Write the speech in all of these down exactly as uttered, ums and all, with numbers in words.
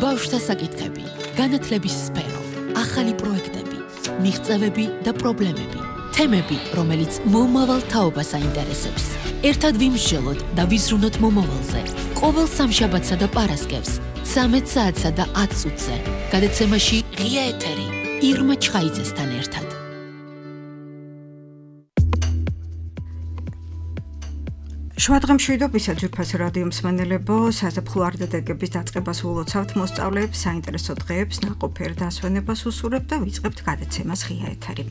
ბავშვთა საკითხები, განათლების სფერო, ახალი პროექტები, მიღწევები და პრობლემები, თემები, რომელიც მომავალ თაობას აინტერესებს. ერთად ვიმსჯელოთ და ვიზრუნოთ მომავალზე. ყოველ სამშაბათსა და პარასკევს, ცამეტ საათსა და ათ წუთზე, გადაცემაში ღია ეთერი, ირმა ჩხაიძესთან ერთად. შვადღემშვიდობისა ძვირფასი რადიო მსმენელებო, საზაფხულო არდადეგების დაწყებას ულოცავთ მოსწავლეებს, საინტერესო დღეებს, ნაყოფიერ დასვენებას უსურებთ და ვიწყებთ გადაცემას ღია ეთერი.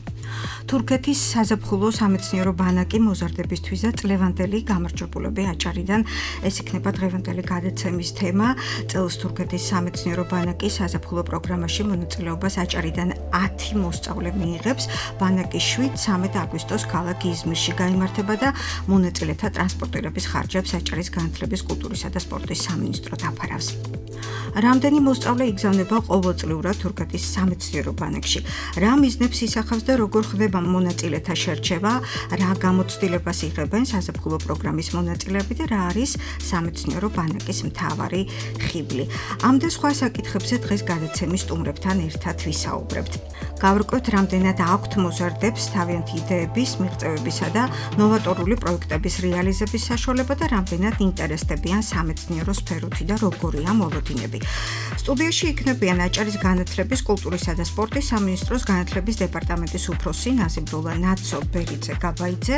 თურქეთის საზაფხულო სამეცნიერო ბანაკი მოზარდებისთვის და წლევანდელი გამარჯვებულები აჭარიდან, ეს იქნება დღევანდელი გადაცემის თემა. წელს თურქეთის სამეცნიერო ბანაკი საზაფხულო პროგრამაში მონაწილეობას აჭარიდან ათი მოსწავლე მიიღებს. ბანაკი შვიდ ცამეტ აგვისტოს ქალაქ იზმირში გაიმართება და მონაწილეთა ტრანსპორტირების ხარჯებს აჭარის განათლების, კულტურისა და სპორტის სამინისტრო დაფარავს. რამდენი მოსწავლე იგზავნება ყოველწლიურად თურქეთის სამეცნიერო ბანაკში? რა მიზნებს ისახავს და როგორ ხდება მონაწილეთა შერჩევა? რა გამოცდილებას იღებენ საზაფხულო პროგრამის მონაწილეები და რა არის სამეცნიერო ბანაკის მთავარი ხიბლი? ამ და სხვა საკითხებზე დღეს გადაცემის სტუმრებთან ერთად ვისაუბრებთ. გავრკვევთ, რამდენად აქვთ მოზარდებს თავიანთი იდეების, მიღწევებისა და ნოვატორული პროექტების რეალიზების საშუალება და რამდენად ინტერესდებიან სამეცნიერო სფეროთი და როგორია მოლოდინები. სტუდიაში იქნებიან აჭარის განათლების, კულტურისა და სპორტის სამინისტროს განათლების დეპარტამენტის უფროსი ნაზიმბრულა ნაცო-ბერიძე-გაბაიძე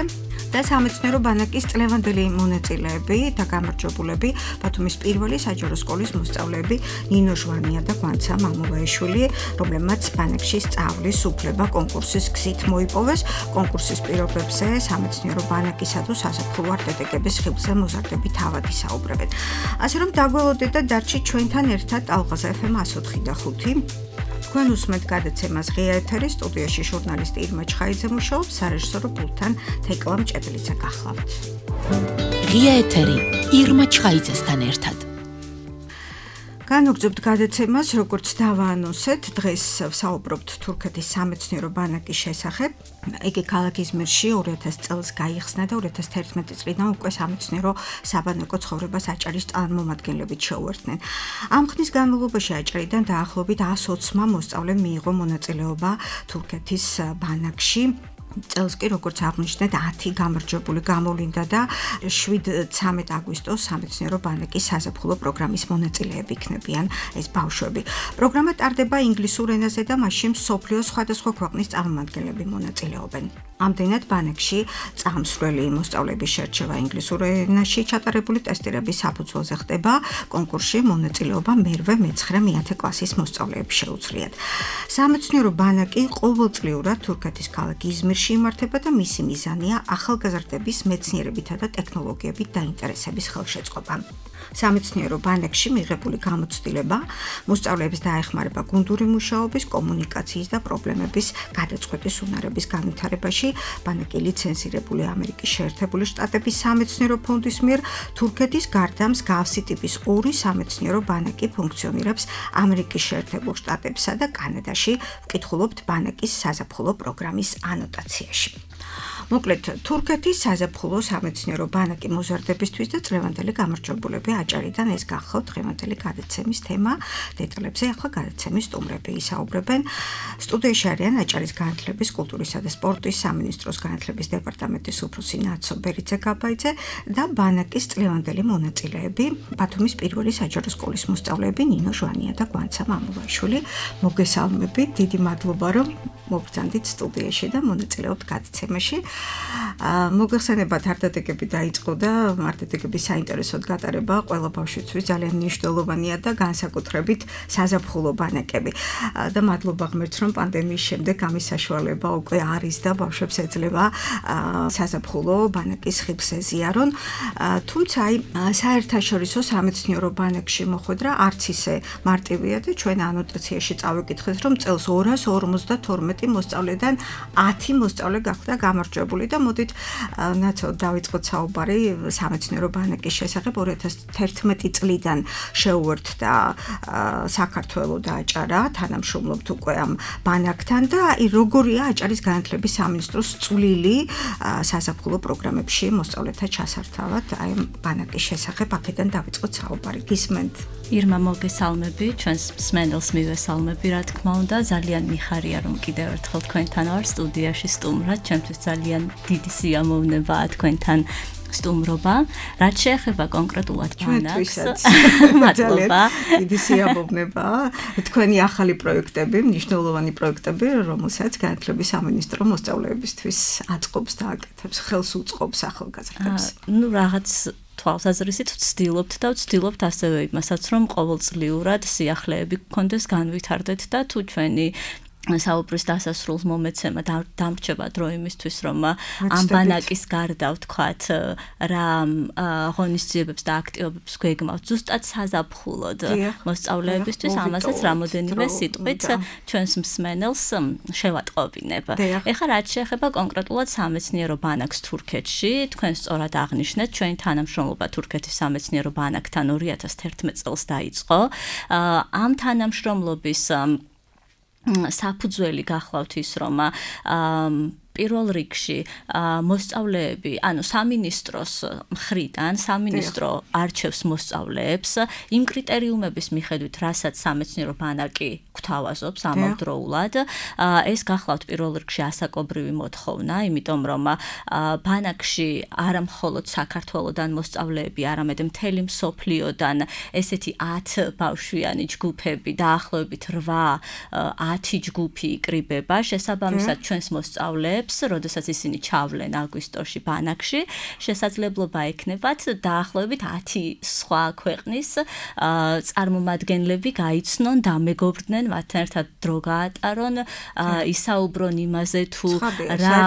და სამეცნიერო ბანაკის წლევანდელი მონაწილეები და გამარჯვებულები, ბათუმის პირველი საჯარო სკოლის მოსწავლეები ნინო ჟვანია და გვანცა მამულაიშვილი, რომლებმაც ბანაკში სწავლის უფლება კონკურსის გზით მოიპოვეს. კონკურსის პირობებზე სამეცნიერო ბანაკისა და საზაფხულო არდადეგების ხიბლზე მოზარდები თავად ისაუბრებენ. ასე რომ დაგველოდეთ და დარჩით ჩვენთან ერთად ალღაზა ეფ ემ ათი ოთხი და ხუთი. თქვენ უსმენთ გადაცემას ღია ეთერი, სტუდიაში ჟურნალისტი ირმა ჩხაიძე მუშაობს, სარეჟისორო პულტთან თეკლა მჭედლიძე გახლავთ. ღია ეთერი, ირმა ჩხაიძესთან ერთად. განვგრძობთ გადაცემას, როგორც დავაანონსეთ, დღეს ვსაუბრობთ თურქეთის სამეცნიერო ბანაკის შესახებ. იგი ქალაქ იზმირში ორი ათასი წელს გაიხსნა და ორი ათასი თერთმეტი წლიდან უკვე სამეცნიერო საბანაკო ცხოვრებას აჭარის წარმომადგენლებით შეუერთდნენ. ამ ხნის განმავლობაში აჭარიდან დაახლოებით ასი ოცმა მოსწავლემ მიიღო მონაწილეობა თურქეთის ბანაკში. წელს კი როგორც აღნიშნეთ, ათი გამარჯვებული გამოვლინდა და შვიდ ცამეტ აგვისტოს სამეცნიერო ბანაკის საზაფხულო პროგრამის მონაწილეები იქნებიან ეს ბავშვები. პროგრამა ტარდება ინგლისურ ენაზე და მასში მსოფლიოს სხვადასხვა ქვეყნის წარმომადგენლები მონაწილეობენ. ამდენად ბანაკში წამსვლელი მოსწავლეების შერჩევა ინგლისურ ენაში ჩატარებული ტესტირების საფუძველზე ხდება. კონკურსში მონაწილეობა მერვე, მეცხრე, მეათე კლასის მოსწავლეებს შეუძლიათ. სამეცნიერო ბანაკი ყოველწლიურად თურქეთის ქალაქ იზმირში იმართება და მისი მიზანია ახალგაზრდების მეცნიერებითა და ტექნოლოგიებით დაინტერესების ხელშეწყობა. სამეცნიერო ბანაკში მიღებული გამოცდილება მოსწავლეებს დაეხმარება გუნდური მუშაობის, კომუნიკაციის და პრობლემების გადაწყვეტის უნარების განვითარებაში. ბანაკი ლიცენზირებული ამერიკის შეერთებული შტატების სამეცნიერო ფონდის მიერ. თურქეთის გარდა მსგავსი ტიპის ორი სამეცნიერო ბანაკი ფუნქციონირებს ამერიკის შეერთებულ შტატებსა და კანადაში. ვკითხულობთ ბანაკის საზაფხულო პროგრამის ანოტაციაში. მოკლედ, თურქეთის საზაფხულო სამეცნიერო ბანაკი მოზარდებისთვის და წლევანდელი გამარჯვებულები აჭარიდან, ეს გახლავთ დღევანდელი გადაცემის თემა. დეტალებზე ახლა გადაცემის სტუმრები ისაუბრებენ. სტუდიაში არიან აჭარის განათლების, კულტურისა და სპორტის სამინისტროს განათლების დეპარტამენტის უფროსი ნაცო-ბერიძე-გაბაიძე და ბანაკის წლევანდელი მონაწილეები, ბათუმის პირველი საჯარო სკოლის მოსწავლეები ნინო ჟვანია და გვანცა მამულაიშვილი. მოგესალმებით, დიდი მადლობა, რომ მოგბრძანდით სტუდიაში და მონაწილეობთ გადაცემაში. მოგეხსენებათ, არდადეგები დაიწყო და არდადეგების საინტერესოდ გატარება ყველა ბავშვისთვის ძალიან მნიშვნელოვანია და განსაკუთრებით საზაფხულო ბანაკები. და მადლობა ღმერთს, რომ პანდემიის შემდეგ ამის საშუალება უკვე არის და ბავშვებს ეძლევა საზაფხულო ბანაკის ხიბლს ეზიარონ. თუმცა აი საერთაშორისო სამეცნიერო ბანაკში მოხვედრა არც ისე მარტივია და ჩვენ ანოტაციაში წავიკითხეთ, რომ წელს ორას ორმოცდათორმეტი მოსწავლედან ათი მოსწავლე გახდა გამარჯვებული. დამკვიდრებული და მოდით ნაცო დავიწყოთ საუბარი სამეცნიერო ბანაკის შესახებ. ორი ათას თერთმეტი წლიდან შეუერთდა საქართველოს და აჭარა, თანამშრომლობთ უკვე ამ ბანაკთან და აი როგორია აჭარის განათლების სამინისტროს წვლილი საზაფხულო პროგრამებში მოსწავლეთა ჩასართავად აი ბანაკის შესახებ. აქედან დავიწყოთ საუბარი. გისმენთ? ირმა მოგესალმები, ჩვენს მსმენელს მივესალმები, რა თქმა უნდა, ძალიან მიხარია რომ კიდევ ერთხელ თქვენთან ვარ სტუდიაში სტუმრად, ჩემთვის ძალიან დიდი სიამოვნებაა თქვენთან სტუმრობა. რაც შეეხება კონკრეტულად ბანაკს, მადლობა. დიდი სიამოვნებაა თქვენი ახალი პროექტები, მნიშვნელოვანი პროექტები, რომელსაც განათლების სამინისტრო მოსწავლეებისთვის აწყობს და აკეთებს, ხელს უწყობს ახალგაზრდებს. ნუ რაღაც თვალსაზრისით ვცდილობთ და ვცდილობთ ასევე იმასაც, რომ ყოველწლიურად სიახლეები გქონდეს, განვითარდეთ და თუ ჩვენი საუბრის დასასრულს მომეცემა დამრჩება დრო იმისთვის, რომ ამ ბანაკის გარდა ვთქვათ რა ღონისძიებებს და აქტივობებს გვეგმავთ ზუსტად საზაფხულოდ მოსწავლეებისთვის, ამასაც რამოდენიმე სიტყვით ჩვენს მსმენელს შევატყობინებ. ეხლა რაც შეეხება კონკრეტულად სამეცნიერო ბანაკს თურქეთში, თქვენ სწორად აღნიშნეთ, ჩვენი თანამშრომლობა თურქეთის სამეცნიერო ბანაკთან ორი ათას თერთმეტ წელს დაიწყო. ამ თანამშრომლობის საფუძველი გახლავთ ის, რომ პირველ რიგში მოსწავლეები, ანუ სამინისტროს მხრიდან, სამინისტრო არჩევს მოსწავლეებს იმ კრიტერიუმების მიხედვით, რასაც სამეცნიერო ბანაკი გვთავაზობს ამავდროულად. ეს გახლავთ პირველ რიგში ასაკობრივი მოთხოვნა, იმიტომ რომ ბანაკში არა მხოლოდ საქართველოდან მოსწავლეები, არამედ მთელი მსოფლიოდან ესეთი ათ ბავშვიანი ჯგუფები, დაახლოებით რვა ათი ჯგუფი იკრიბება, შესაბამისად ჩვენს მოსწავლეებს როდესაც ისინი ჩავლენ აგვისტოში ბანაკში, შესაძლებლობა ექნებათ დაახლოებით ათი სხვა ქვეყნის წარმომადგენლები გაიცნონ, დამეგობრდნენ, მათთან ერთად დრო გაატარონ, ისაუბრონ იმაზე თუ რა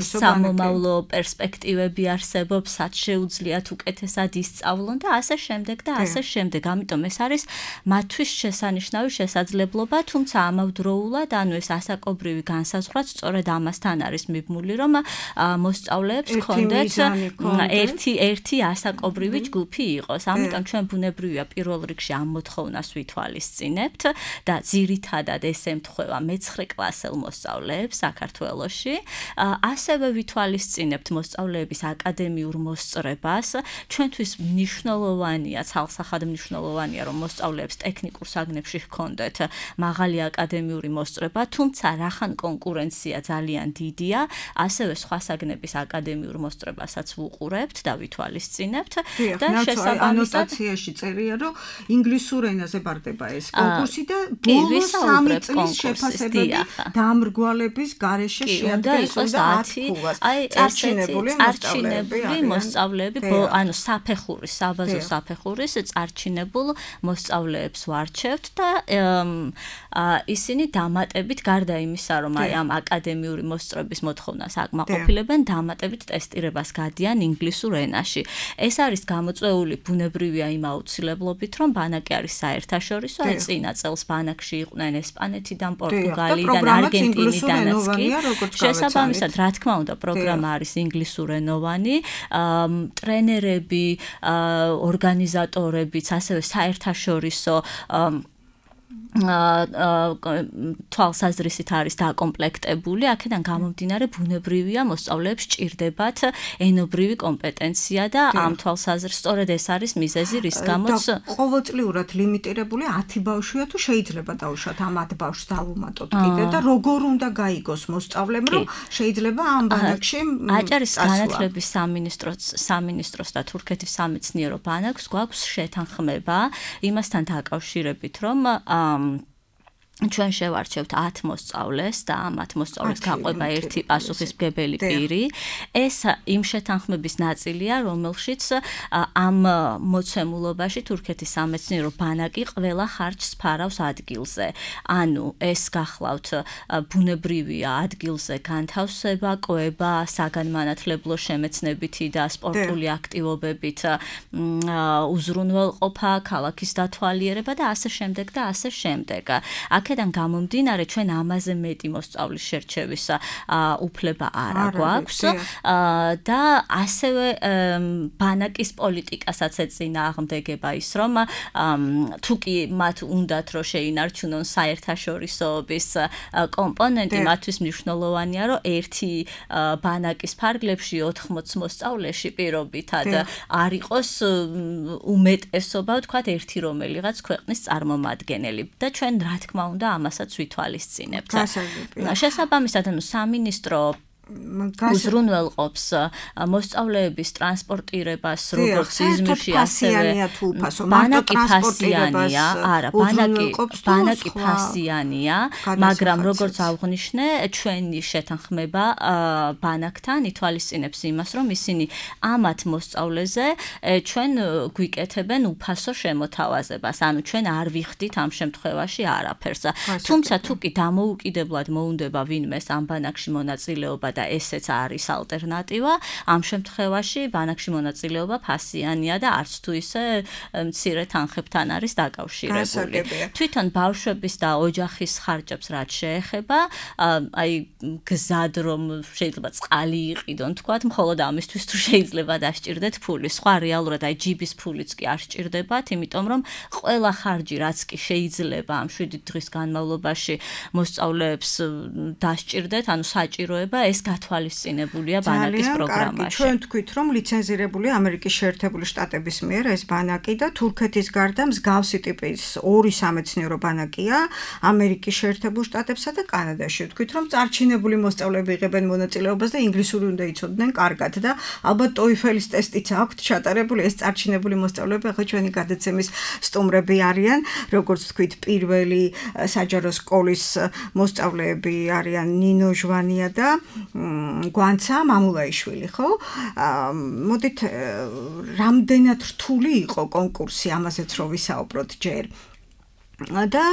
სამომავლო პერსპექტივები არსებობს, რაც შეუძლიათ უკეთესად ისწავლონ და ასე შემდეგ და ასე შემდეგ. ამიტომ ეს არის მათთვის შესანიშნავი შესაძლებლობა, თუმცა ამავდროულად, ანუ ეს ასაკობრივი განსაზღვრა სწორედ ამასთან არის მიბმული, რომ მოსწავლეებს ჰქონდეთ ერთი ერთი ასაკობრივი ჯგუფი იყოს. ამიტომ ჩვენ ბუნებრივია პირველ რიგში ამ მოთხოვნას ვითვალისწინებთ და ძირითადად ეს ემთხვევა მეცხრე კლასელ მოსწავლეებს საქართველოში. ასევე ვითვალისწინებთ მოსწავლეების აკადემიურ მოსწრებას. ჩვენთვის მნიშვნელოვანია, ცალსახად მნიშვნელოვანია, რომ მოსწავლეებს ტექნიკურ საგნებში ჰქონდეთ მაღალი აკადემიური მოსწრება, თუმცა რახან კონკურენცია ძალიან დიდია, ასევე სხვა საგნების აკადემიურ მოსწრებასაც ვუყურებთ და ვითვალისწინებთ და შესაბამისად ანოტაციაში წერია, რომ ინგლისურ ენაზე ბარდება ეს კონკურსი და ბოლო სამი წლის შეფასებები დამრგვალების გარეშე შეადგენს ათი წარჩინებული მოსწავლეები, ანუ საფეხურის, საბაზო საფეხურის წარჩინებულ მოსწავლეებს ვარჩევთ და ისინი დამატებით გარდა იმისა, რომ აი ამ აკადემიური მოსწრების მოთხოვნას აკმაყოფილებენ, დამატებით ტესტირებას გადიან ინგლისურ ენაში. ეს არის გამოწვეული ბუნებრივია იმ აუცილებლობით, რომ ბანაკი არის საერთაშორისო, აი წინა წელს ბანაკში იყვნენ ესპანეთიდან, პორტუგალიიდან, არგენტინიდანაც კი. შესაბამისად, რა თქმა უნდა, პროგრამა არის ინგლისურენოვანი, ტრენერები, ორგანიზატორებიც, ასევე საერთაშორისო თვალსაზრისით არის დაკომპლექტებული, აქედან გამომდინარე ბუნებრივია მოსწავლეებს სჭირდებათ ენობრივი კომპეტენცია და ამ თვალსაზრისით სწორედ ეს არის მიზეზი, რის გამოც ყოველწლიურად ლიმიტირებული ათი ბავშვია, თუ შეიძლება დაუშვათ ამ ათ ბავშვს დავუმატოთ კიდე და როგორ უნდა გაიგოს მოსწავლემ, რომ შეიძლება ამ ბანაკში აჭარის განათლების სამინისტროს სამინისტროს და თურქეთის სამეცნიერო ბანაკს გვაქვს შეთანხმება იმასთან დაკავშირებით, რომ ჩვენ შევარჩევთ ათ მოსწავლეს და ამ ათ მოსწავლეს გაყვება ერთი პასუხისმგებელი პირი. ეს იმ შეთანხმების ნაწილია, რომელშიც ამ მოცემულობაში თურქეთის სამეცნიერო ბანაკი ყველა ხარჯს ფარავს ადგილზე. ანუ ეს გახლავთ ბუნებრივია ადგილზე განთავსება, კვება, საგანმანათლებლო შემეცნებითი და სპორტული აქტივობებით უზრუნველყოფა, ქალაქის დათვალიერება და ასე შემდეგ და ასე შემდეგ. აქ აქედან გამომდინარე ჩვენ ამაზე მეტი მოსწავლის შერჩევის უფლება არ გვაქვს და ასევე ბანაკის პოლიტიკასაც ეწინააღმდეგება ის რომ თუ კი მათ უნდათ რომ შეინარჩუნონ საერთაშორისოების კომპონენტი მათთვის მნიშვნელოვანია რომ ერთი ბანაკის ფარგლებში ოთხმოც მოსწავლეში პირობითად არ იყოს უმეტესობა ვთქვათ ერთი რომელიღაც ქვეყნის წარმომადგენელი და ჩვენ რა თქმა უნდა ამასაც ვითვალისწინებთ. შესაბამისად ანუ სამინისტრო უზრუნველყოფს მოსწავლეების ტრანსპორტირებას როგორც იზმირში ასევე ბანაკი ფასიანია, არა, ბანაკი ბანაკი ფასიანია, მაგრამ როგორც აღვნიშნე, ჩვენი შეთანხმება ბანაკთან ითვალისწინებს იმას, რომ ისინი ამათ მოსწავლეზე ჩვენ გვიკეთებენ უფასო შემოთავაზებას, ანუ ჩვენ არ ვიხდით ამ შემთხვევაში არაფერს. თუმცა თუ კი დამოუკიდებლად მოუნდება ვინმეს ამ ბანაკში მონაწილეობა და ესეც არის ალტერნატივა, ამ შემთხვევაში ბანაკში მონაწილეობა ფასიანია და არც თუ ისე მცირე თანხებთან არის დაკავშირებული. თვითონ ბავშვების და ოჯახის ხარჯებს რაც შეეხება, აი გზად რომ შეიძლება წყალი იყიდონ, თქვათ, მხოლოდ ამისთვის თუ შეიძლება დასჭირდეთ ფული. სხვა რეალურად აი ჯიბის ფულიც კი არ სჭირდებათ, იმიტომ რომ ყველა ხარჯი რაც კი შეიძლება ამ შვიდი დღის განმავლობაში მოსწავლეებს დასჭირდეთ, ანუ საჭიროება ეს გათვალისწინებულია ბანაკის პროგრამაში. ჩვენ თქვით, რომ ლიცენზირებულია ამერიკის შეერთებული შტატების მიერ ეს ბანაკი და თურქეთის გარდა მსგავსი ტიპის ორი სამეცნიერო ბანაკია ამერიკის შეერთებულ შტატებსა და კანადაში. თქვით, რომ წარჩინებული მოსწავლეები იღებენ მონაწილეობას და ინგლისური უნდა იცოდნენ კარგად და ალბათ TOEFL-ის ტესტიც აქვთ ჩატარებული. ეს წარჩინებული მოსწავლეები ახლა ჩვენი გადაცემის სტუმრები არიან, როგორც თქვით, პირველი საჯარო სკოლის მოსწავლეები არიან ნინო ჟვანია და გვანცა მამულაიშვილი, ხო? მოდით რამდენად რთული იყო კონკურსი, ამაზეც რო ვისაუბროთ ჯერ. და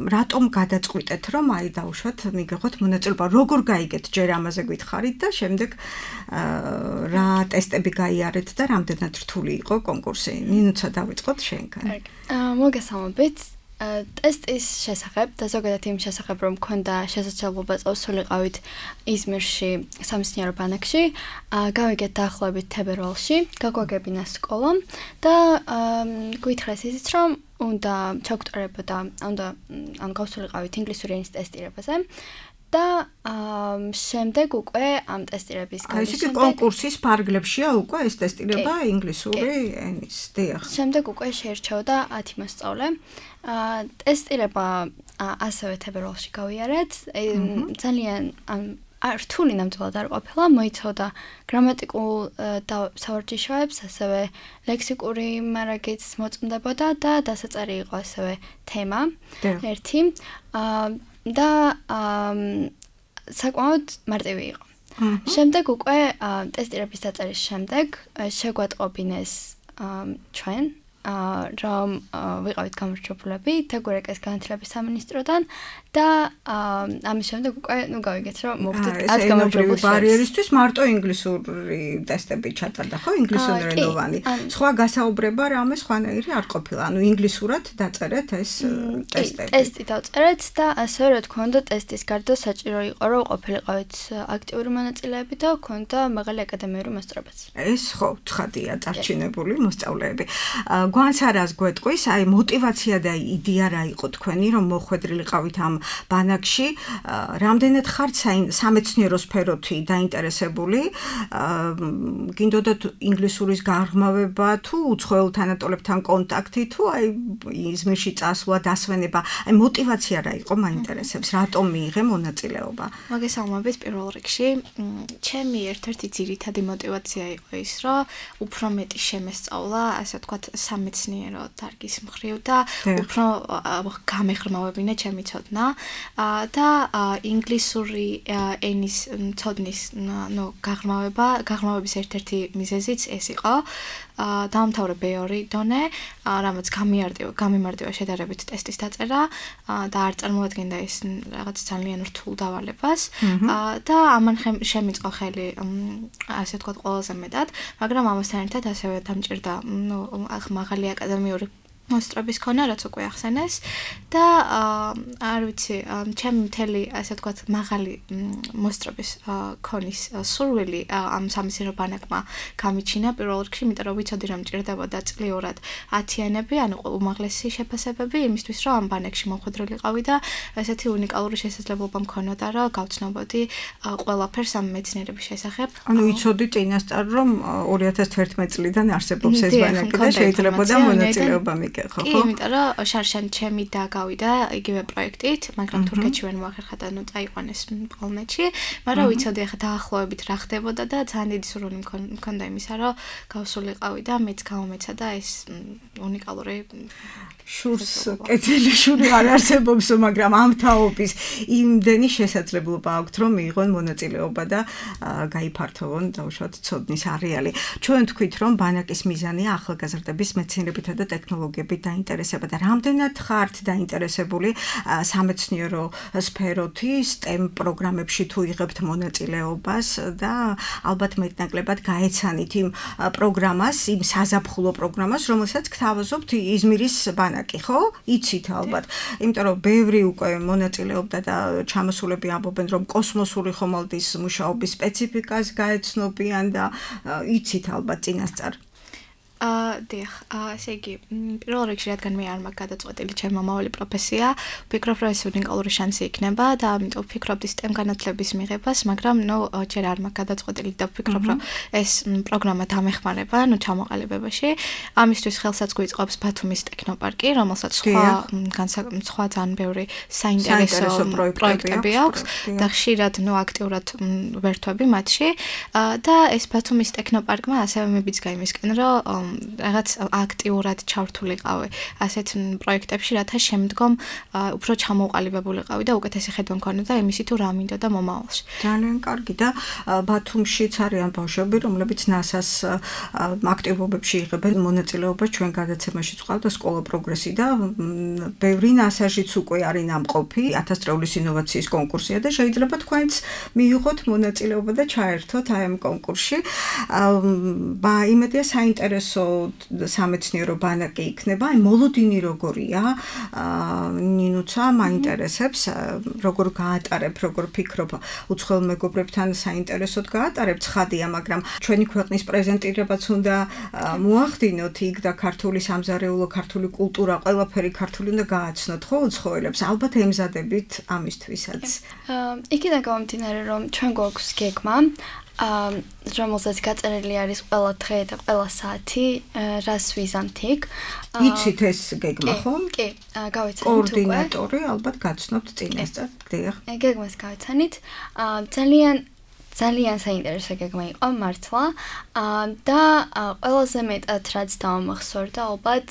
რატომ გადაწყვიტეთ რომ აი დავუშვათ მიგეღოთ მონაწილეობა, როგორ გაიგეთ ჯერ ამაზე გითხარით და შემდეგ რა ტესტები გაიარეთ და რამდენად რთული იყო კონკურსი? ნინოცა დავიწყოთ შენგან. მოგესალმებით. ტესტის შესახებ და ზოგადად იმ შესახებ რომ მქონდა შესაძლებლობა წავსულიყავით იზმირში სამეცნიერო ბანაკში, გავიგეთ დაახლოებით თებერვალში, გაგვაგებინა სკოლა და გვითხრეს ისიც რომ უნდა ჩაგუტარებოდა, უნდა ანუ გავსულიყავით ინგლისური ენის ტესტირებაზე. და შემდეგ უკვე ამ ტესტირების გამის შემდეგ კონკურსის ფარგლებშია უკვე ეს ტესტირება ინგლისური ენის. დიახ. შემდეგ უკვე შეირჩეოდა ათი მოსწავლე. ტესტირება ასევე თებერვალში გავიარეთ. ძალიან რთული ნამდვილად არ ყოფილა, მოიცავდა გრამატიკულ სავარჯიშოებს, ასევე ლექსიკური მარაგიც მოწმდებოდა და დასაწერი იყო ასევე თემა ერთი. და საკმაოდ მარტივი იყო. შემდეგ უკვე ტესტირების დაწერის შემდეგ შეგვატყობინეს ჩვენ რომ ვიყავით გამორჩეულები თეგურეკეს განათლების სამინისტროდან და ამის შემდეგ უკვე ნუ გავიგეთ რომ მოვხდით ათ გამარჯვებულს ბარიერისთვის მარტო ინგლისური ტესტები ჩატარდა ხო ინგლისურენოვანი სხვა გასაუბრება რამე სხვანაირი არ ყოფილა ანუ ინგლისურად დაწერეთ ეს ტესტები ტესტი დავწერეთ და ასე რა თქმა უნდა ტესტის გარდა საჭირო იყო რომ ყოფილიყავით აქტიური მონაწილეები და ქონდა მაღალი აკადემიური მასწავლებაც ეს ხო ცხადია წარჩინებული მოსწავლეები გვანც არას გვეტყვის აი мотиваცია და იდეა რა იყო თქვენი რომ მოხვედრილიყავით ამ ბანაკში რამდენად ხართ სამეცნიერო სფეროთი დაინტერესებული გინდოდათ ინგლისურის გაღრმავება თუ უცხოელ თანატოლებთან კონტაქტი თუ აი იზმირში წასვლა დასვენება აი мотиваცია რა იყო მაინტერესებს რატომ მიიღე მონაწილეობა მოგესალმებით პირველ რიგში ჩემი ერთ-ერთი ძირითადი мотиваცია იყო ის რომ უფრო მეტი შემესწავლა ასე ვთქვათ სამეცნიერო დარგის მხრივ და უფრო გამეღრმავებინა ჩემი ცოდნა და ინგლისური ენის ცოდნის ნუ გაღრმავება გაღრმავების ერთ-ერთი მიზეზიც ეს იყო დაამთავრე ბე ორი დონე რამაც გამიარტივა გამიმარტივა შედარებით ტესტის დაწერა და არ წარმოადგენდა ეს რაღაც ძალიან რთულ დავალებას და ამან შემიწყო ხელი ასე ვთქვათ ყველაზე მეტად მაგრამ ამასთან ერთად ასევე დამჭირდა ნუ მაღალი აკადემიური მოსტრების ქონა, რაც უკვე ახსენეს და არ ვიცი, ჩემი მთელი ასე ვთქვათ, მაღალი მოსტრების ქონის სურვილი ამ სამეცნიერო ბანაკმა გამიჩინა პირველ რიგში, იმიტომ რომ ვიცოდი რომ მჭირდებოდა წლიურად ათიანები, ანუ უმაღლესი შეფასებები იმისთვის, რომ ამ ბანაკში მომხვედრილიყავი და ესეთი უნიკალური შესაძლებლობა მქონოდა, რომ გავცნობოდი ყველაფერს ამ მეცნიერების შესახებ. ანუ იცოდი წინასწარ რომ ორი ათას თერთმეტი წლიდან არსებობს ეს ბანაკი და შეიძლებოდა მონაწილეობა მიგეხო, ხო? კი, იმიტომ რომ შარშან ჩემი და გავიდა იგივე პროექტით, მაგრამ თურქეთში ვერ მოახერხა და ნუ წაიყვანეს პოლონეთში, მაგრამ ვიცოდი ახლა დაახლოებით რა ხდებოდა და ძალიან დიდი სურვილი მქონდა იმისა, რომ გავსულიყავი და მეც გამომეცა და ეს უნიკალური შურს კეთილი შური არ არსებობს, მაგრამ ამ თაობის იმდენი შესაძლებლობა აქვთ, რომ მიიღონ მონაწილეობა და გაიფართოვონ დაუშვათ ცოდნის არეალი. ჩვენ თქვით, რომ ბანაკის მიზანია ახალგაზრდების მეცნიერებითა და ტექნოლოგიებით დაინტერესება და რამდენად ხართ დაინტერესებული სამეცნიერო სფეროთი, STEM პროგრამებში თუ იღებთ მონაწილეობას და ალბათ მეტნაკლებად გაეცანით იმ პროგრამას, იმ საზაფხულო პროგრამას, რომელსაც გთავაზობთ იზმირის ბანაკი, ხო? იცით ალბათ. იმიტომ რომ ბევრი უკვე მონაწილეობდა და ჩამოსულები ამბობენ, რომ კოსმოსური ხომალდის მუშაობის სპეციფიკას გაეცნობიან და იცით ალბათ წინასწარ. აა დიახ, ასე იგი, პირველ რიგში რადგან მე არ მაქვს გადაწყვეტილი ჩემი მომავალი პროფესია, ვფიქრობ, რომ ეს უნიკალური შანსი იქნება და ამიტომ ვფიქრობდი STEM განათლების მიღებას, მაგრამ ნუ ჯერ არ მაქვს გადაწყვეტილი და ვფიქრობ, რომ ეს პროგრამა დამეხმარება, ნუ ჩამოყალიბებაში. ამისთვის ხელსაც გვიწყობს ბათუმის ტექნოპარკი, რომელსაც სხვა სხვა ძალიან ბევრი საინტერესო პროექტები აქვს და ხშირად ნუ აქტიურად ვერთვები მათში და ეს ბათუმის ტექნოპარკმა ასევე მიბიძგა იმისკენ, რომ რაღაც აქტიურად ჩართულიყავი ასეთ პროექტებში, რათა შემდგომ უფრო ჩამოყალიბებულიყავი და უკეთესი ხედვა მქონოდა იმისი თუ რა მინდოდა მომავალში. ძალიან კარგი და ბათუმშიც არიან ბავშვები, რომლებიც ნასას აქტივობებში იღებენ მონაწილეობას, ჩვენ გადაცემაშიც ყავდა სკოლა პროგრესი და ბევრი ნასაშიც უკვე არის ნამყოფი, ათას წრეულის ინოვაციის კონკურსია და შეიძლება თქვენც მიიღოთ მონაწილეობა და ჩაერთოთ აი ამ კონკურსში. ბა იმედია საინტერესო სამეცნიერო ბანაკი იქნება, აი მოლოდინი როგორია, ნინუცა მაინტერესებს, როგორ გაატარებ, როგორ ფიქრობ, უცხოელ მეგობრებთან საინტერესოდ გაატარებ ცხადია, მაგრამ ჩვენი ქვეყნის პრეზენტირებაც უნდა მოახდინოთ იქ და ქართული სამზარეულო, ქართული კულტურა, ყველაფერი ქართული უნდა გააცნოთ, ხო, უცხოელებს. ალბათ ემზადებით ამისთვისაც. იქიდან გამომდინარე, რომ ჩვენ გვაქვს გეგმა აა რომელსაც გაწერილი არის ყველა დღე და ყველა საათი, რას ვიზამთ იქ. იცით ეს გეგმა, ხო? კი, გავიცანით უკვე. კოორდინატორი ალბათ გაცნობთ წინასწარ. დიახ. გეგმას გავიცანით. აა ძალიან ძალიან საინტერესო გეგმა იყო მართლა და ყველაზე მეტად რაც დავამახსოვრდა ალბათ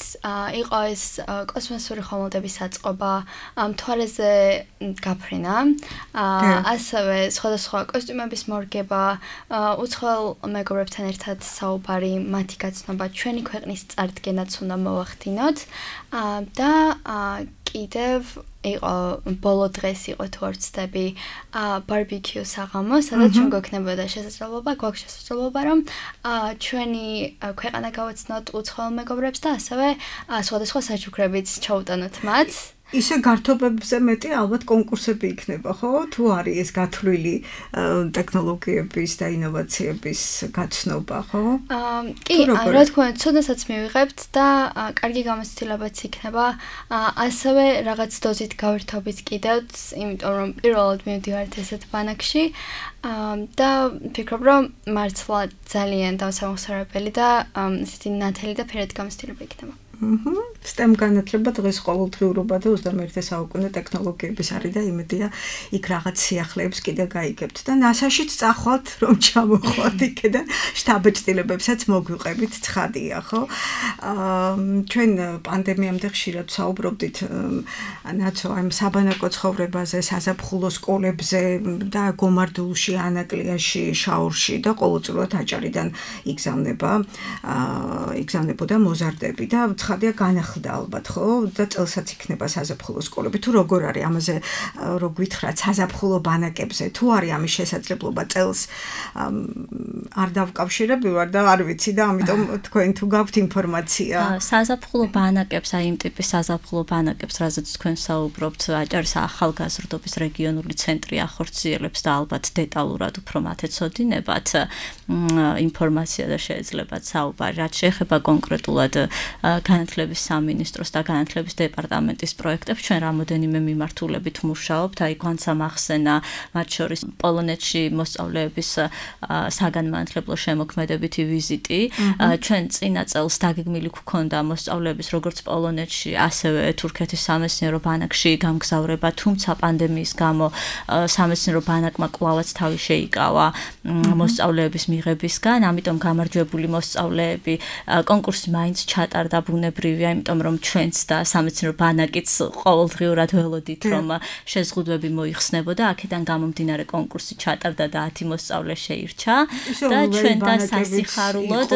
იყო ეს კოსმოსური ხომალდების აწყობა, მთვარეზე გაფრენა, ასევე სხვადასხვა კოსტიუმების მორგება, უცხოელ მეგობრებთან ერთად საუბარი, მათი გაცნობა, ჩვენი ქვეყნის წარდგენაც უნდა მოვახდინოთ და კიდევ იყო ბოლო დღეს იყო თუ არ ვცდები ბარბეკიუ საღამო, სადაც ჩვენ გვექნებოდა შესაძლებლობა, გვაქვს შესაძლებლობა რომ ჩვენი ქვეყანა გავაცნოთ უცხოელ მეგობრებს და ასევე სხვადასხვა საჩუქრებიც ჩაუტანოთ მათ. ისე გართობებზე მეტი ალბათ კონკურსები იქნება, ხო? თუ არის ეს გათვლილი ტექნოლოგიების და ინოვაციების გაცნობა, ხო? კი, რა თქმა უნდა, ცოდნასაც მივიღებთ და კარგი გამოცდილებაც იქნება, ასევე რაღაც დოზით გავერთობით კიდევ, იმიტომ რომ პირველად მივდივართ ესეთ ბანაკში და ვფიქრობ, რომ მართლა ძალიან დავსამახსოვრებელი და ესეთი ნათელი და ფერადი გამოცდილება იქნება. აჰა, STEM განათლება დღეს ყოველდღიურობა და ოცდამეერთე საუკუნე ტექნოლოგიების არის და იმედია იქ რაღაც სიახლეებს კიდე გაიგებთ და ნასაშიც წახვალთ რომ ჩამოხვათ იქიდან შტაბ-ჭრილებებსაც მოგვიყევით, ცხადია, ხო? აა ჩვენ პანდემიამდე ხშირად საუბრობდით ნაცო ამ საბანაკო ცხოვრებაზე, საზაფხულო სკოლებზე და გომარდულში, ანაკლიაში, შაურში და ყოველწლიურად აჭარიდან იგზავნება, აა იგზავნებოდა მოზარდები და ხარდია განახლდა ალბათ, ხო? და წელსაც იქნება საზაფხულო სკოლები. თუ როგორ არის ამაზე რო გვითხრათ საზაფხულო ბანაკებზე, თუ არის ამის შესაძლებლობა წელს არ დავკავშირები ვარ და არ ვიცი და ამიტომ თქვენ თუ გაქვთ ინფორმაცია. საზაფხულო ბანაკებს, აი იმ ტიპის საზაფხულო ბანაკებს, რაზეც თქვენ საუბრობთ, აჭარის ახალგაზრდობის რეგიონული ცენტრი ახორციელებს და ალბათ დეტალურად უფრო მათ ეცოდინებათ ინფორმაცია და შეეძლებათ საუბარი. რაც შეეხება კონკრეტულად განათლების სამინისტროს და განათლების დეპარტამენტის პროექტებს, ჩვენ რამოდენიმე მიმართულებით მუშაობთ. აი გვანცა მახსენა მათ შორის პოლონეთში მოსწავლეების საგანმანათლებლო შემოქმედებითი ვიზიტი. ჩვენ წინა წელს დაგეგმილი გვქონდა მოსწავლეების როგორც პოლონეთში, ასევე თურქეთის სამეცნიერო ბანაკში გამგზავრება, თუმცა პანდემიის გამო სამეცნიერო ბანაკმა კვლავაც თავი შეიკავა მოსწავლეების მიღებისგან, ამიტომ გამარჯვებული მოსწავლეები კონკურსი მაინც ჩატარდა ბუნებრივია, იმიტომ რომ ჩვენც და სამეცნიერო ბანაკიც ყოველდღიურად ველოდით, რომ შეზღუდვები მოიხსნებოდა, აქედან გამომდინარე კონკურსი ჩატარდა და ათი მოსწავლე შეირჩა და ჩვენ და სასიხარულოდ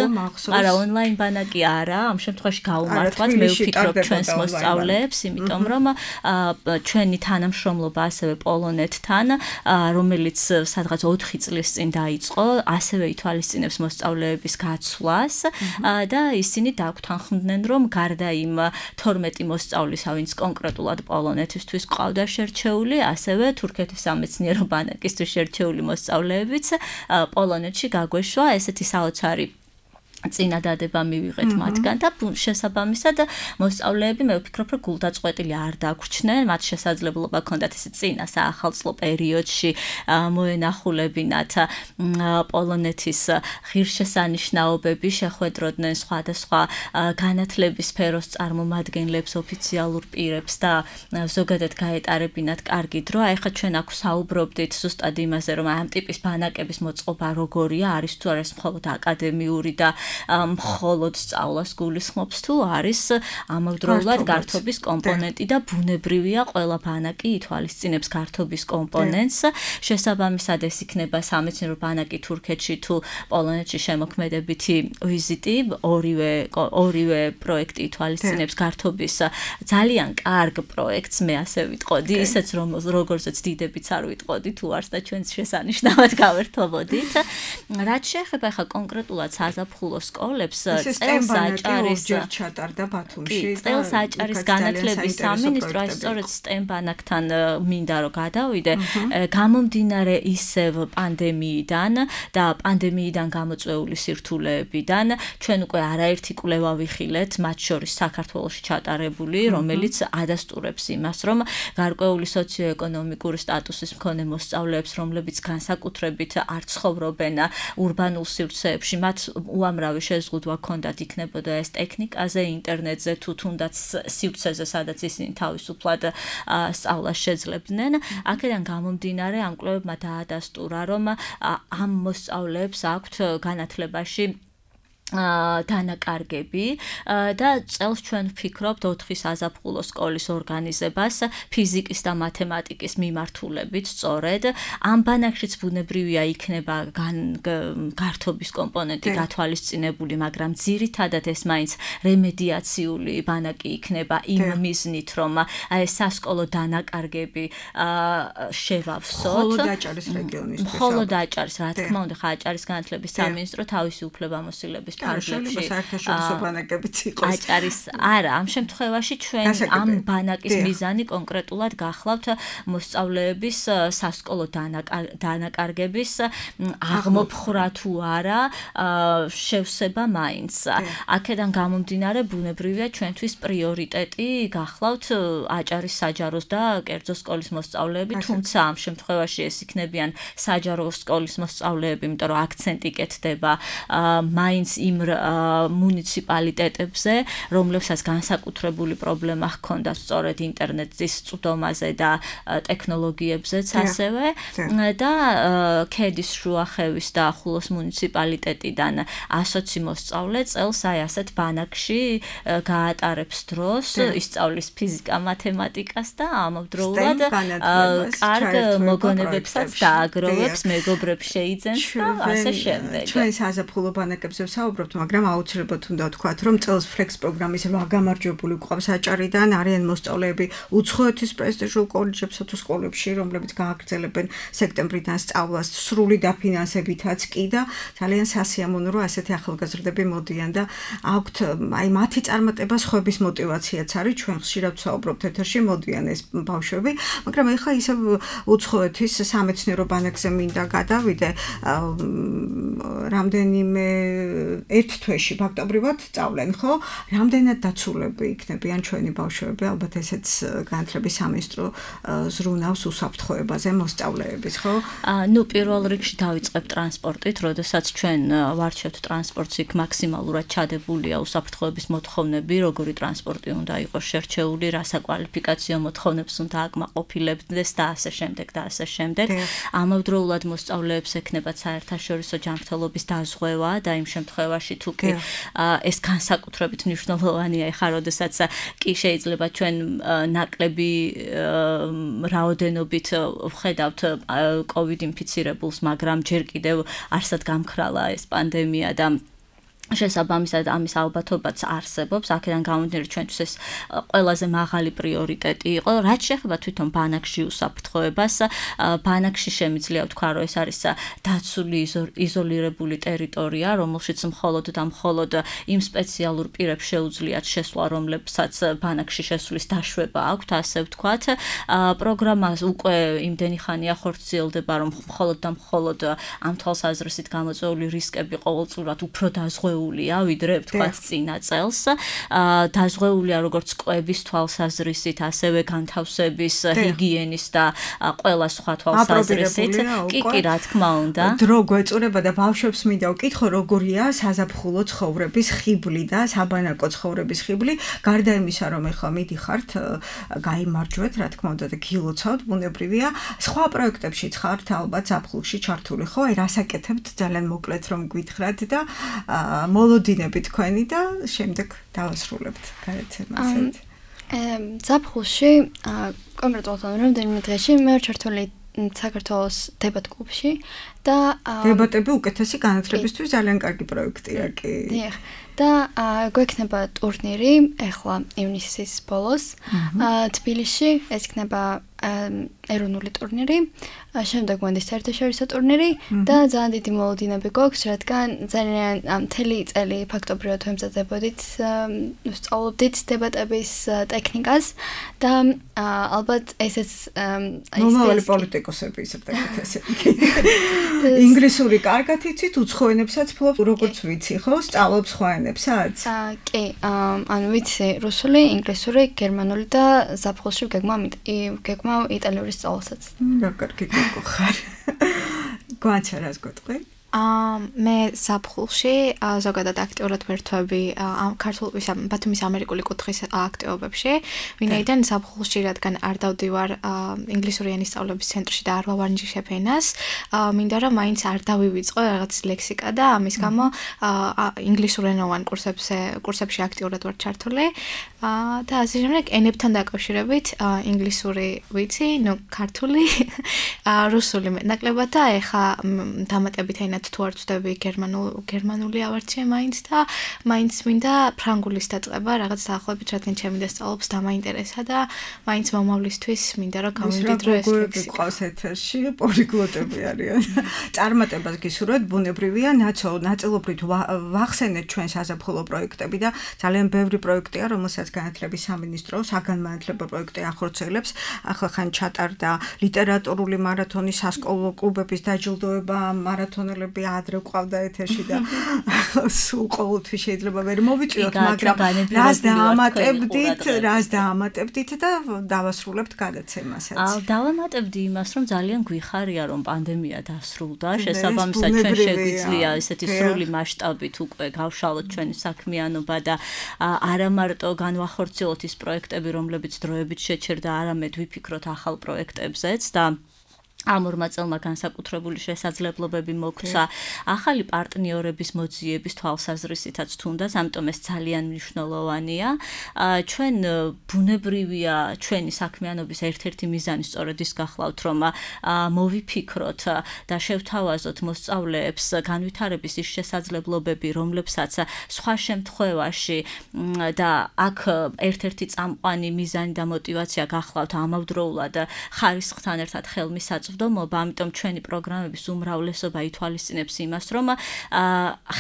არა ონლაინ ბანაკი არა, ამ შემთხვევაში გაუმართლად მე ვფიქრობ ჩვენს მოსწავლეებს, იმიტომ რომ ჩვენი თანამშრომლობა ასევე პოლონეთთან, რომელიც სადღაც ოთხი წლის წინ დაიწყო, ასევე ითვალისწინებს მოსწავლეების გაცვლას და ისინი დაგვთანხმდნენ, რომ გარდა იმ თორმეტი მოსწავლისა, ვინც კონკრეტულად პოლონეთისთვის ყავდა შერჩეული, ასევე თურქეთის სამეცნიერო ბანაკისთვის შერჩეული მოსწავლეებიც პოლონეთში გაგვეშვა ესეთი საოცარი წინადადება მივიღეთ მათგან და შესაბამისად მოსწავლეები მე ვფიქრობ რომ გულდაწყვეტილი არ დაგვრჩნენ, მათ შესაძლებლობა ჰქონდათ ეს წინა საახალწლო პერიოდში მოენახულებინათ პოლონეთის ღირსშესანიშნაობები, შეხვედროდნენ სხვადასხვა განათლების სფეროს წარმომადგენლებს, ოფიციალურ პირებს და ზოგადად გაეტარებინათ კარგი დრო. აი ხა ჩვენ აქ საუბრობდით ზუსტად იმაზე, რომ ამ ტიპის ბანაკების მოწყობა როგორია, არის თუ არა მხოლოდ აკადემიური და მხოლოდ სწავლას გულისხმობს თუ არის ამავდროულად გართობის კომპონენტი და ბუნებრივია ყველა ბანაკი ითვალისწინებს გართობის კომპონენტს. შესაბამისად ეს იქნება სამეცნიერო ბანაკი თურქეთში თუ პოლონეთში შემოქმედებითი ვიზიტი, ორივე ორივე პროექტი ითვალისწინებს გართობის ძალიან კარგ პროექტს, მე ასე ვიტყოდი, ისეც რომ როგორცაც დიდებიც არ ვიტყოდი თუ არს და ჩვენც შესანიშნავად გავერთობოდით. რაც შეეხება ხა კონკრეტულად საზაფხულო სკოლებს, წელს აჭარის ჩატარდა ბათუმში. წელს აჭარის განათლების სამინისტრო აი სწორედ STEM ბანაკთან მინდა რომ გადავიდე, გამომდინარე ისევ პანდემიიდან და პანდემიიდან გამოწვეული სირთულეებიდან, ჩვენ უკვე არაერთი კვლევა ვიხილეთ, მათ შორის საქართველოში ჩატარებული, რომელიც ადასტურებს იმას, რომ გარკვეული სოციოეკონომიკური სტატუსის მქონე მოსწავლეებს, რომლებიც განსაკუთრებით არ ცხოვრობენ ურბანულ სივრცეებში, მათ უამრავი შეზღუდვა ჰქონდათ, იქნებოდა ეს ტექნიკაზე, ინტერნეტზე თუ თუნდაც სივრცეზე, სადაც ისინი თავისუფლად სწავლას შეძლებდნენ. აქედან გამომდინარე ამ კვლევებმა დაადასტურა, რომ ამ მოსწავლეებს აქვთ განათლებაში დანაკარგები და წელს ჩვენ ვფიქრობთ ოთხი საზაფხულო სკოლის ორგანიზებას ფიზიკის და მათემატიკის მიმართულებით სწორედ. ამ ბანაკშიც ბუნებრივია იქნება გართობის კომპონენტი გათვალისწინებული, მაგრამ ძირითადად ეს მაინც რემედიაციული ბანაკი იქნება იმ მიზნით, რომ აი სასკოლო დანაკარგები შევავსოთ. მხოლოდ აჭარის რეგიონისთვის. მხოლოდ აჭარის, რა თქმა უნდა, ხა აჭარის განათლების სამინისტრო თავისი უფლებამოსილების ფარგლებში საერთაშორისო ბანაკებიც იყოს. აჭარის არა, ამ შემთხვევაში ჩვენ ამ ბანაკის მიზანი კონკრეტულად გახლავთ მოსწავლეების სასკოლო დანაკარგების აღმოფხვრა თუ არა შევსება მაინც. აქედან გამომდინარე ბუნებრივია ჩვენთვის პრიორიტეტი გახლავთ აჭარის საჯაროს და კერძო სკოლის მოსწავლეები, თუმცა ამ შემთხვევაში ეს იქნებიან საჯარო სკოლის მოსწავლეები, იმიტომ რომ აქცენტი კეთდება მაინც იმ მუნიციპალიტეტებზე, რომლებსაც განსაკუთრებული პრობლემა ჰქონდა სწორედ ინტერნეტის წვდომაზე და ტექნოლოგიებზეც ასევე და ქედის შუახევის და ხულოს მუნიციპალიტეტიდან ასოცი მოსწავლე წელს აი ასეთ ბანაკში გაატარებს დროს, ისწავლის ფიზიკა, მათემატიკას და ამავდროულად კარგ მოგონებებსაც დააგროვებს, მეგობრებს შეიძენს და ასე შემდეგ. ჩვენ საზაფხულო ბანაკებზე ვსაუბრობთ, ვსაუბრობთ, მაგრამ აუცილებლად უნდა ვთქვათ, რომ წელს Flex პროგრამის რვა გამარჯვებული გვყავს აჭარიდან, არიან მოსწავლეები უცხოეთის პრესტიჟულ კოლეჯებსა თუ სკოლებში, რომლებიც გააგრძელებენ სექტემბრიდან სწავლას სრული დაფინანსებითაც კი და ძალიან სასიამოვნო, რომ ასეთი ახალგაზრდები მოდიან და აქვთ აი მათი წარმატება სხვების მოტივაციაც არის, ჩვენ ხშირად ვსაუბრობთ ეთერში, მოდიან ეს ბავშვები, მაგრამ ეხლა ისე უცხოეთის სამეცნიერო ბანაკზე მინდა გადავიდე რამდენიმე ერთ თვეში ფაქტობრივად სწავლენ, ხო? რამდენად დაცულები იქნებიან ჩვენი ბავშვები, ალბათ ესეც განათლების სამინისტრო ზრუნავს უსაფრთხოებაზე მოსწავლეების, ხო? ნუ პირველ რიგში დავიწყებ ტრანსპორტით, როდესაც ჩვენ ვარჩევთ ტრანსპორტს, იქ მაქსიმალურად ჩადებულია უსაფრთხოების მოთხოვნები, როგორი ტრანსპორტი უნდა იყოს შერჩეული, რა საკვალიფიკაციო მოთხოვნებს უნდა აკმაყოფილებდეს და ასე შემდეგ და ასე შემდეგ. ამავდროულად მოსწავლეებს ექნებათ საერთაშორისო ჯანმრთელობის დაზღვევა და იმ შემთხვევაში თუ კი ეს განსაკუთრებით მნიშვნელოვანია, ეხლა როდესაც კი შეიძლება ჩვენ ნაკლები რაოდენობით ვხედავთ COVID ინფიცირებულს, მაგრამ ჯერ კიდევ არსად გამქრალა ეს პანდემია და შესაბამისად ამის ალბათობაც არსებობს, აქედან გამომდინარე ჩვენთვის ეს ყველაზე მაღალი პრიორიტეტი იყო, რაც შეეხება თვითონ ბანაკში უსაფრთხოებას. ბანაკში შემიძლია ვთქვა, რომ ეს არის დაცული იზოლირებული ტერიტორია, რომელშიც მხოლოდ და მხოლოდ იმ სპეციალურ პირებს შეუძლიათ შესვლა, რომლებსაც ბანაკში შესვლის დაშვება აქვთ, ასე ვთქვათ. პროგრამა უკვე იმდენი ხანია ხორციელდება, რომ მხოლოდ და მხოლოდ ამ თვალსაზრისით გამოწვეული რისკები ყოველწლიურად უფრო დაზღვეულია ვიდრე ვთქვათ წინა წელს. დაზღვეულია როგორც კვების თვალსაზრისით, ასევე განთავსების, ჰიგიენის და ყველა სხვა თვალსაზრისით. კი, კი, რა თქმა უნდა. დრო გვეწურება და ბავშვებს მინდა ვკითხო, როგორია საზაფხულო ცხოვრების ხიბლი და საბანაკო ცხოვრების ხიბლი, გარდა იმისა, რომ ეხლა მიდიხართ, გაიმარჯვეთ, რა თქმა უნდა და გილოცავთ, ბუნებრივია. სხვა პროექტებშიც ხართ ალბათ ზაფხულში ჩართული, ხო? აი რას აკეთებთ ძალიან მოკლედ რომ გვითხრათ და მოლოდინები თქვენი და შემდეგ დავასრულებთ გადაცემას. ზაფხულში კონკრეტულად რამდენიმე დღეში მე ვარ ჩართული საქართველოს დებატ კლუბში და დებატები უკეთესი განათლებისთვის ძალიან კარგი პროექტია კი. დიახ. და გვექნება ტურნირი ახლა ივნისის ბოლოს თბილისში, ეს იქნება ეროვნული ტურნირი, შემდეგ მოდის საერთაშორისო ტურნირი და ძალიან დიდი მოლოდინები გვაქვს, რადგან ძალიან მთელი წელი ფაქტობრივად ვემზადებოდით, ვსწავლობდით დებატების ტექნიკას და ალბათ ესეც მომავალი პოლიტიკოსები ისრდებით ესე. ინგლისური კარგად იცით, უცხო ენებსაც ფლობთ, როგორც ვიცი, ხო? სწავლობ სხვა ენებსაც? კი, ანუ ვიცი რუსული, ინგლისური, გერმანული და ზაფხულში გეგმავ იტალიური სწავლებსაც. რა კარგი გოგო ხარ. გვაჩა რას გეტყვი? მე ზაფხულში ზოგადად აქტიურად ვერთვები ამ ქართულ ისა ბათუმის ამერიკული კუთხის აქტივობებში, ვინაიდან ზაფხულში რადგან არ დავდივარ ინგლისური ენის სწავლების ცენტრში და არ ვავარჯიშებ ენას, მინდა რომ მაინც არ დავივიწყო რაღაც ლექსიკა და ამის გამო ინგლისურენოვან კურსებზე კურსებში აქტიურად ვარ ჩართული და ასე შემდეგ ენებთან დაკავშირებით ინგლისური ვიცი, ნუ ქართული, რუსული მეტნაკლებად და ეხა დამატებით ენა თუ არ ვწდები გერმანული ავარჩიე მაინც და მაინც მინდა ფრანგულის დაწყება რაღაც დაახლოებით, რადგან ჩემი დასწავლობს დამაინტერესა და მაინც მომავლისთვის მინდა რომ გამოვიდრო ეს ლექსიკა. ყავს ეთერში პოლიგლოტები არიან. წარმატებას გისურვებთ, ბუნებრივია, ნაცო ნაწილობრივ ვახსენეთ ჩვენ საზაფხულო პროექტები და ძალიან ბევრი პროექტია, რომელსაც განათლების სამინისტრო საგანმანათლებლო პროექტი ახორციელებს. ახლა ხან ჩატარდა ლიტერატურული მარათონი, სასკოლო კლუბების დაჯილდოება, მარათონელები ადრე ყავდა ეთერში და სულ ყოველთვის შეიძლება ვერ მოვიწვიოთ, მაგრამ რას დაამატებდით, რას დაამატებდით და დავასრულებთ გადაცემასაც. დავამატებდი იმას, რომ ძალიან გვიხარია, რომ პანდემია დასრულდა, შესაბამისად ჩვენ შეგვიძლია ესეთი სრული მასშტაბით უკვე გავშალოთ ჩვენი საქმიანობა და არა მარტო განვახორციელოთ ის პროექტები, რომლებიც დროებით შეჩერდა, არამედ ვიფიქროთ ახალ პროექტებზეც და ამ ორმა წელმა განსაკუთრებული შესაძლებლობები მოგცა ახალი პარტნიორების მოძიების თვალსაზრისითაც თუნდაც, ამიტომ ეს ძალიან მნიშვნელოვანია. ჩვენ ბუნებრივია ჩვენი საქმიანობის ერთ-ერთი მიზანი სწორედ ის გახლავთ, რომ მოვიფიქროთ და შევთავაზოთ მოსწავლეებს განვითარების ის შესაძლებლობები, რომლებსაც სხვა შემთხვევაში და აქ ერთ-ერთი წამყვანი მიზანი და мотиваცია გახლავთ ამავდროულად ხარისხთან ერთად ხელმისაწვდომობა, ამიტომ ჩვენი პროგრამების უმრავლესობა ითვალისწინებს იმას, რომ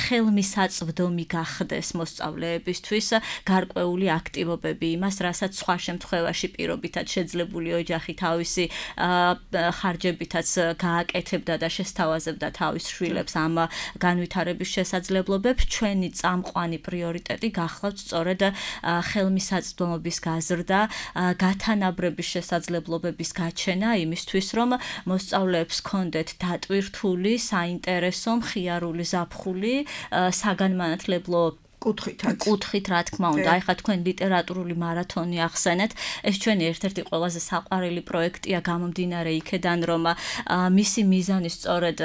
ხელმისაწვდომი გახდეს მოსწავლეებისთვის გარკვეული აქტივობები, იმას, რასაც სხვა შემთხვევაში პირობითად შეძლებული ოჯახი თავისი ხარჯებითაც გააკეთებდა და შესთავაზებდა თავის შვილებს ამ განვითარების შესაძლებლობებს, ჩვენი წამყვანი პრიორიტეტი გახლავთ სწორედ ხელმისაწვდომობის გაზრდა, გათანაბრების შესაძლებლობების გაჩენა იმისთვის, რომ მოსწავლეებს ჰქონდეთ დატვირთული, საინტერესო, მხიარული ზაფხული, საგანმანათლებლო კუთხითაც. კუთხით, რა თქმა უნდა, აი ხა თქვენ ლიტერატურული მარათონი ახსენეთ, ეს ჩვენი ერთ-ერთი ყველაზე საყვარელი პროექტია გამომდინარე იქედან, რომ მისი მიზანი სწორედ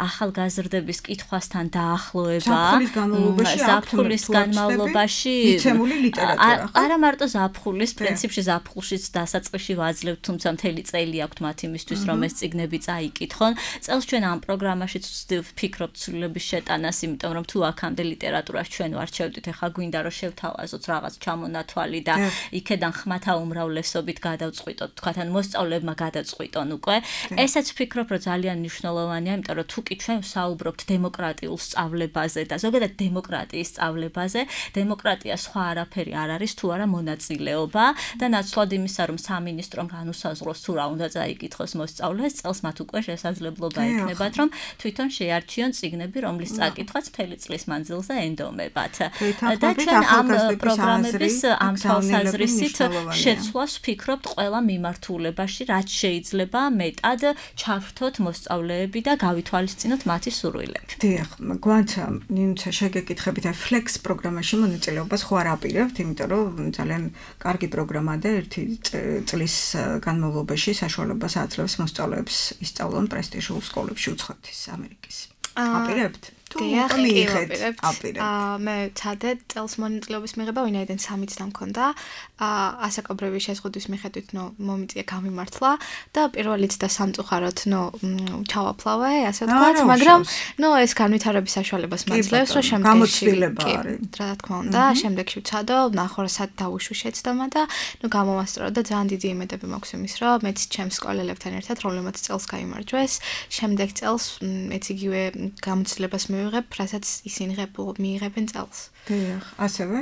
ახალგაზრდების კითხვასთან დაახლოება, ზაფხულის განმავლობაში მიცემული ლიტერატურა. არა მარტო ზაფხულის, პრინციპში ზაფხულშიც დასაწყისში ვაძლევთ, თუმცა მთელი წელი აქვთ მათ იმისთვის, რომ ეს წიგნები წაიკითხონ. წელს ჩვენ ამ პროგრამაშიც ვფიქრობთ ცვლილების შეტანას, იმიტომ რომ თუ აქამდე ლიტერატურას ჩვენ ვარჩევდით, ეხლა გვინდა რომ შევთავაზოთ რაღაც ჩამონათვალი და იქედან ხმათა უმრავლესობით გადავწყვიტოთ, თქვათ ან მოსწავლეებმა გადაწყვიტონ უკვე. ესაც ვფიქრობ, რომ ძალიან მნიშვნელოვანია, იმიტომ რომ თუ კი ჩვენ ვსაუბრობთ დემოკრატიულ სწავლებაზე და ზოგადად დემოკრატიის სწავლებაზე, დემოკრატია სხვა არაფერი არ არის, თუ არა მონაწილეობა და ნაცვლად იმისა, რომ სამინისტრომ განუსაზღვროს თუ რა უნდა წაიკითხოს მოსწავლეს, წელს მათ უკვე შესაძლებლობა ექნებათ, რომ თვითონ შეარჩიონ წიგნები, რომლის წაკითხვაც მთელი წლის მანძილზე ენდომება. და ჩვენ ამ პროგრამების ამ თვალსაზრისით შეცვლას ვფიქრობთ ყველა მიმართულებაში, რაც შეიძლება მეტად ჩავრთოთ მოსწავლეები და გავითვალისწინოთ მათი სურვილები. დიახ, გვანცა ნინუცა შეგეკითხებით, აი Flex პროგრამაში მონაწილეობას ხო არ აპირებთ, იმიტომ რომ ძალიან კარგი პროგრამაა და ერთი წლის განმავლობაში საშუალებას აძლევს მოსწავლეებს ისწავლონ პრესტიჟულ სკოლებში უცხოეთის ამერიკის. აპირებთ? დიახ, აპირებთ. აა მე ვცადე წელს მონაწილეობის მიღება, ვინაიდან სამი წლა მქონდა. აა ასაკობრივი შეზღუდვის მიხედვით, ნო მომიწია გამიმართლა და პირველი წდა სამწუხაროდ, ნო ჩავაფლავე, ასე ვთქვათ, მაგრამ ნო ეს განვითარების საშუალებას მაძლევს, რომ შემდეგში რა თქმა უნდა, შემდეგში ვცადო, ნახორასად დავუშვი შეცდომა და ნო გამომასწორო და ძალიან დიდი იმედები მაქვს იმის, რომ მეც ჩემს სკოლელებთან ერთად, რომლებმაც წელს გაიმარჯვეს, შემდეგ წელს მეც იგივე გამოცდილებას მივიღებ, რასაც ისინი მიიღებენ წელს. დიახ, ასევე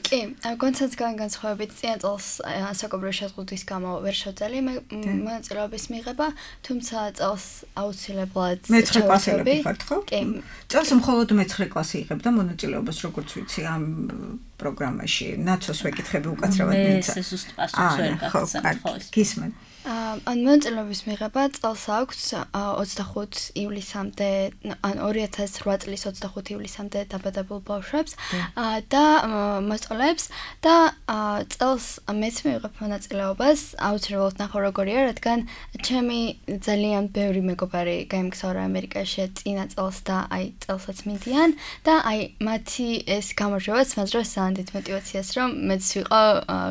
კი, კონცენტრ განსხვავებით წინა წელს ასაკობრივი შეზღუდვის გამო ვერ შევძელი მონაწილეობის მიღება, თუმცა წელს აუცილებლად მეცხრე კლასელები ხართ, ხო? კი. წელს მხოლოდ მეცხრე კლასი იღებდა მონაწილეობას, როგორც ვიცი, ამ პროგრამაში. ნაცოს ვეკითხები უკაცრავად მინდა. მე ეს ზუსტ პასუხს ვერ გაგცემ, ხო? გისმენ. ან მონაწილეობის მიღება წელს აქვს ოცდახუთ ივლისამდე, ან ორი ათას ოთხ წლის ოცდახუთ ივლისამდე დაბადებულ ბავშვებს და მოსწავლეებს და წელს მეც მივიღებ მონაწილეობას, აუცილებლად ნახო როგორია, რადგან ჩემი ძალიან ბევრი მეგობარი გაემგზავრა ამერიკაში წინა წელს და აი წელსაც მიდიან და აი მათი ეს გამარჯვებაც მაძლევს ძალიან დიდ мотиваციას, რომ მეც ვიყო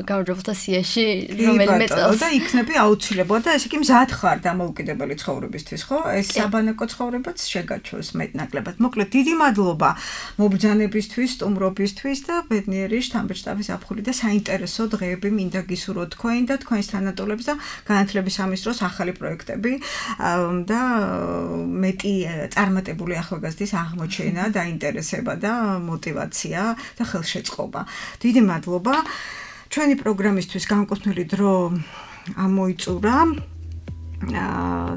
გამარჯვებულთა სიაში რომელიმე წელს და იქნები აუცილებლად და ესე იგი მზად ხარ დამოუკიდებელი ცხოვრებისთვის, ხო? ეს საბანაკო ცხოვრებაც შეგაჩვენს მეტნაკლებად. მოკლედ, დიდი მადლობა მობრძანებისთვის, სტუმრობისთვის და ბედნიერი შთამბეჭდავი ზაფხული და საინტერესო დღეები მინდა გისურვოთ თქვენ და თქვენს თანატოლებს და განათლების ამის დროს ახალი პროექტები და მეტი წარმატებული ახალგაზრდის აღმოჩენა, დაინტერესება და мотиваცია და ხელშეწყობა. დიდი მადლობა. ჩვენი პროგრამისთვის განკუთვნილი დრო ამოიწურა.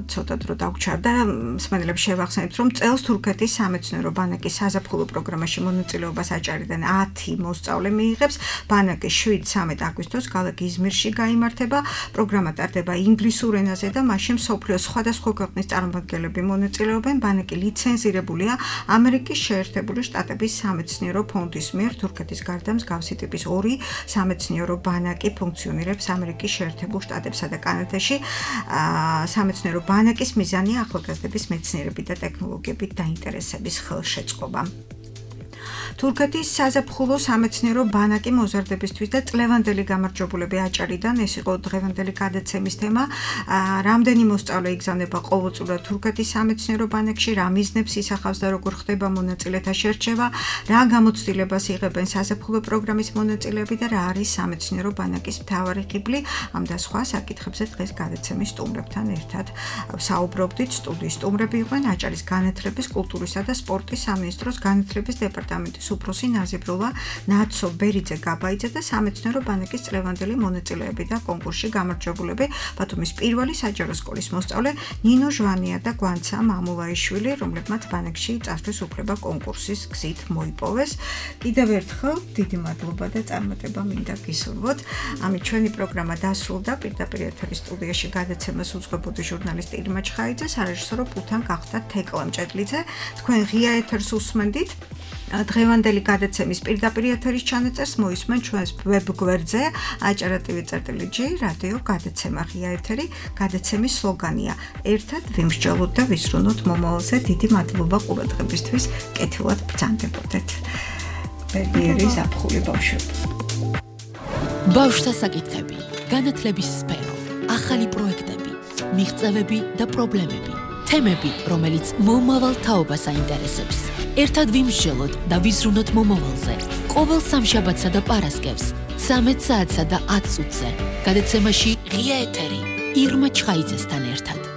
ცოტა დრო დაგვჩარდა. მსმენელებს შევახსენებთ, რომ წელს თურქეთის სამეცნიერო ბანაკის საზაფხულო პროგრამაში მონაწილეობას აჭარიდან ათი მოსწავლე მიიღებს. ბანაკი შვიდ სამეტ აგვისტოს ქალაქ იზმირში გაიმართება. პროგრამა ტარდება ინგლისურ ენაზე და მასში მსოფლიოს სხვადასხვა ქვეყნის წარმომადგენლები მონაწილეობენ. ბანაკი ლიცენზირებულია ამერიკის შეერთებული შტატების სამეცნიერო ფონდის მიერ. თურქეთის გარდა მსგავსი ტიპის ორი სამეცნიერო ბანაკი ფუნქციონირებს ამერიკის შეერთებულ შტატებსა და კანადაში. სამეცნიერო ბანაკის მიზანია ახალგაზრდების მეცნიერებით და ტექნოლოგიებით დაინტერესების ხელშეწყობა. თურქეთის საზაფხულო სამეცნიერო ბანაკი მოზარდებისთვის და წლევანდელი გამარჯვებულები აჭარიდან ეს იყო დღევანდელი გადაცემის თემა. რამდენი მოსწავლე იგზავნება ყოველწლიურად თურქეთის სამეცნიერო ბანაკში, რა მიზნებს ისახავს და როგორ ხდება მონაწილეთა შერჩევა, რა გამოცდილებას იღებენ საზაფხულო პროგრამის მონაწილეები და რა არის სამეცნიერო ბანაკის მთავარი ღიბლი. ამ და სხვა საკითხებზე დღეს გადაცემის სტუმრებთან ერთად საუბრობდით. სტუდიის სტუმრები იყვნენ აჭარის განათლების, კულტურისა და სპორტის სამინისტროს განათლების დეპარტამენტის უფროსი ნაზიბრულა ნაცო ბერიძე გაბაიძე და სამეცნიერო ბანაკის წლევანდელი მონაწილეები და კონკურსში გამარჯვებულები ბათუმის პირველი საჯარო სკოლის მოსწავლე ნინო ჟვანია და გვანცა მამულაიშვილი, რომლებმაც ბანაკში წასვლის უფლება კონკურსის გზით მოიპოვეს. კიდევ ერთხელ დიდი მადლობა და წარმატება მინდა გისურვოთ. ამით ჩვენი პროგრამა დასრულდა. პირდაპირ ეთერის სტუდიაში გადაცემას უძღვებოდი ჟურნალისტი ირმა ჩხაიძე, სარეჟისორო პულთან გახდა თეკლა მჭედლიძე. თქვენ ღია ეთერს უსმენდით. დღევანდელი გადაცემის პირდაპირ ეთერის ჩანაწერს მოისმენ ჩვენს ვებ გვერდზე aჭარა.tv.gr რადიო გადაცემა ღია ეთერი. გადაცემის სლოგანია ერთად ვიმსჯელოთ და ვიზრუნოთ მომავალზე. დიდი მადლობა ყურადღებისთვის. კეთილად ბრძანდებოდეთ. ბედნიერი ზაფხული ბავშვები. ბავშვთა საკითხები, განათლების სფერო, ახალი პროექტები, მიღწევები და პრობლემები. თემები, რომელიც მომავალ თაობას აინტერესებს. ერთად ვიმსჯელოთ და ვიზრუნოთ მომავალზე. ყოველ სამშაბათსა და პარასკევს, ცამეტ საათსა და ათ წუთზე. გადაცემაში ღია ეთერი ირმა ჩხაიძესთან ერთად.